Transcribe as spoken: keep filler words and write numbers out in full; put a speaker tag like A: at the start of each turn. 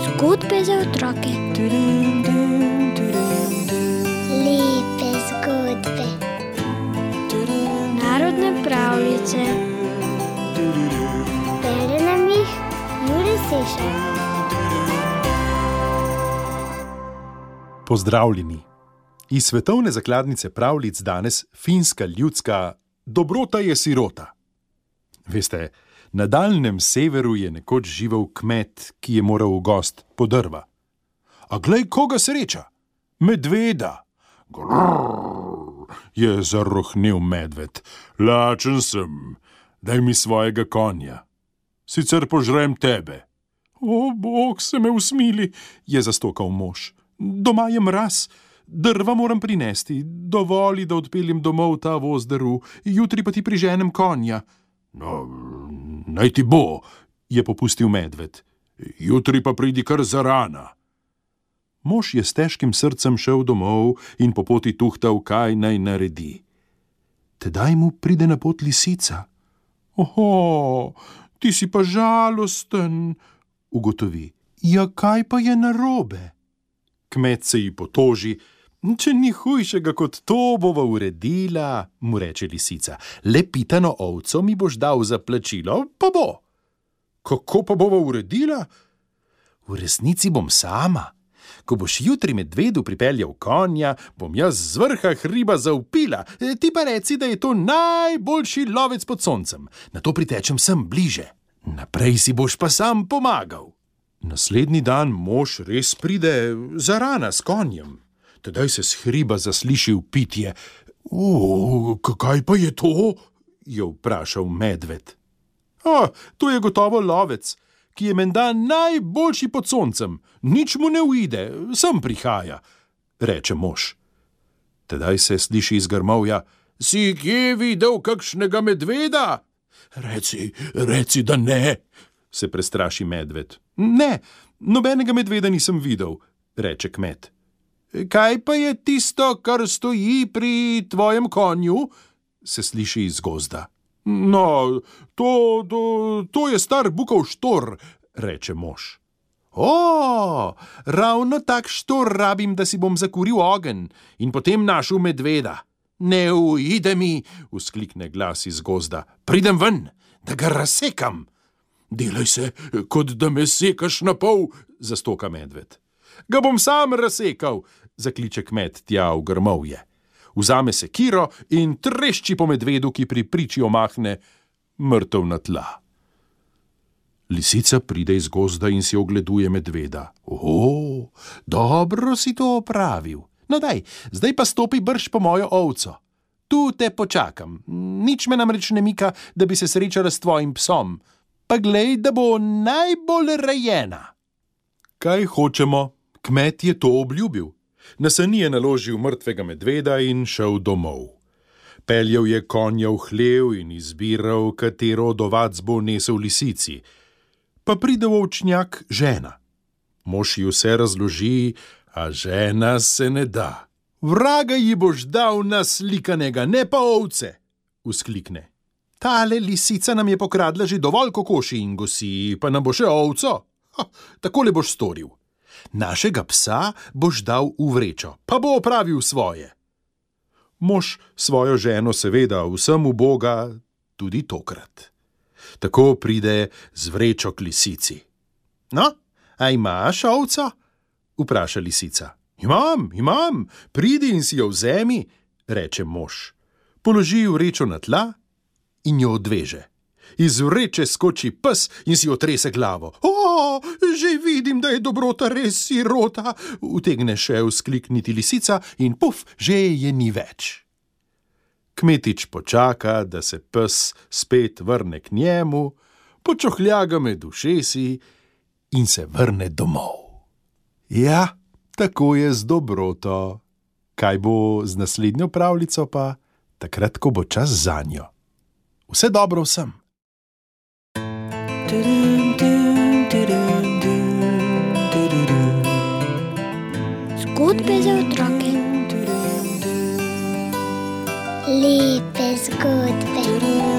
A: Zgodbe za otroke.
B: Lepe zgodbe.
A: Narodne pravljice.
B: Bere nam jih Jure Sešar.
C: Pozdravljeni. Iz svetovne zakladnice pravljic danes finska ljudska Dobrota je sirota. Veste, na daljnem severu je nekoč živel kmet, ki je moral v gost po drva. A glej, koga sreča! Medveda! Grrr, je zarohnel medved. Lačen sem, daj mi svojega konja. Sicer požrem tebe. O, Bog se me usmili, je zastokal mož. Doma je mraz, drva moram prinesti, dovoli, da odpeljem domov ta voz drv, jutri pa ti priženem konja. No, naj ti bo, je popustil medved. Jutri pa pridi kar zarana. Mož je s težkim srcem šel domov in po poti tuhtal, kaj naj naredi. Tedaj mu pride na pot lisica. Oho, ti si pa žalosten, ugotovi. Ja, kaj pa je narobe? Kmet se ji potoži. Če ni hujšega kot to, bova uredila, mu reče lisica. Le pitano ovco mi boš dal za plačilo, pa bo. Kako pa bova uredila? V resnici bom sama. Ko boš jutri medvedu pripeljal konja, bom jaz z vrha hriba zavpila. Ti pa reci, da je to najboljši lovec pod soncem. Nato pritečem sem bliže. Naprej si boš pa sam pomagal. Naslednji dan mož res pride zarana s konjem. Tedaj se s hriba zasliši vpitje. O, kaj pa je to? Je vprašal medved. O, to je gotovo lovec, ki je menda najboljši pod soncem. Nič mu ne uide, sem prihaja, reče mož. Tedaj se sliši iz grmovja. Si kje videl kakšnega medveda? Reci, reci, da ne, se prestraši medved. Ne, nobenega medveda nisem videl, reče kmet. Kaj pa je tisto, kar stoji pri tvojem konju? Se sliši iz gozda. No, to, to, to je star bukov štor, reče mož. O, ravno tak štor rabim, da si bom zakuril ogenj in potem našel medveda. Ne uide mi, vzklikne glas iz gozda. Pridem ven, da ga razsekam. Delaj se, kot da me sekaš na pol, zastoka medved. Ga bom sam razsekal, zakliče kmet tja v grmovje. Vzame sekiro in trešči po medvedu, ki pri priči omahne mrtev na tla. Lisica pride iz gozda in si ogleduje medveda. O, dobro si to opravil. No daj, zdaj pa stopi brž po mojo ovco. Tu te počakam. Nič me namreč ne mika, da bi se srečala s tvojim psom. Pa glej, da bo najbolj rejena. Kaj hočemo? Kmet je to obljubil. Na sani je naložil mrtvega medveda in šel domov. Peljal je konja v hlev in izbiral, katero od ovac bo nesel lisici. Pa pride v ovčnjak žena. Mož ji vse razloži, a žena se ne da. Vraga ji boš dal naslikanega, ne pa ovce, vzklikne. Tale lisica nam je pokradla že dovolj kokoši in gosi, pa nam bo še ovco. Ha, takole boš storil. Našega psa boš dal v vrečo, pa bo opravil svoje. Mož svojo ženo seveda vsem uboga tudi tokrat. Tako pride z vrečo k lisici. No, a imaš ovco? Vpraša lisica. Imam, imam, pridi in si jo vzemi, reče mož. Položi vrečo na tla in jo odveže. Iz vreče skoči pes in si otrese glavo. O, že vidim, da je dobrota res sirota, utegne še vzklikniti lisica in puf, že je ni več. Kmetič počaka, da se pes spet vrne k njemu, počohlja ga med ušesi in se vrne domov. Ja, tako je z dobroto. Kaj bo z naslednjo pravljico pa, takrat, ko bo čas zanjo. Vse dobro vsem.
A: Zgodbe za otroke.
B: Lepe zgodbe.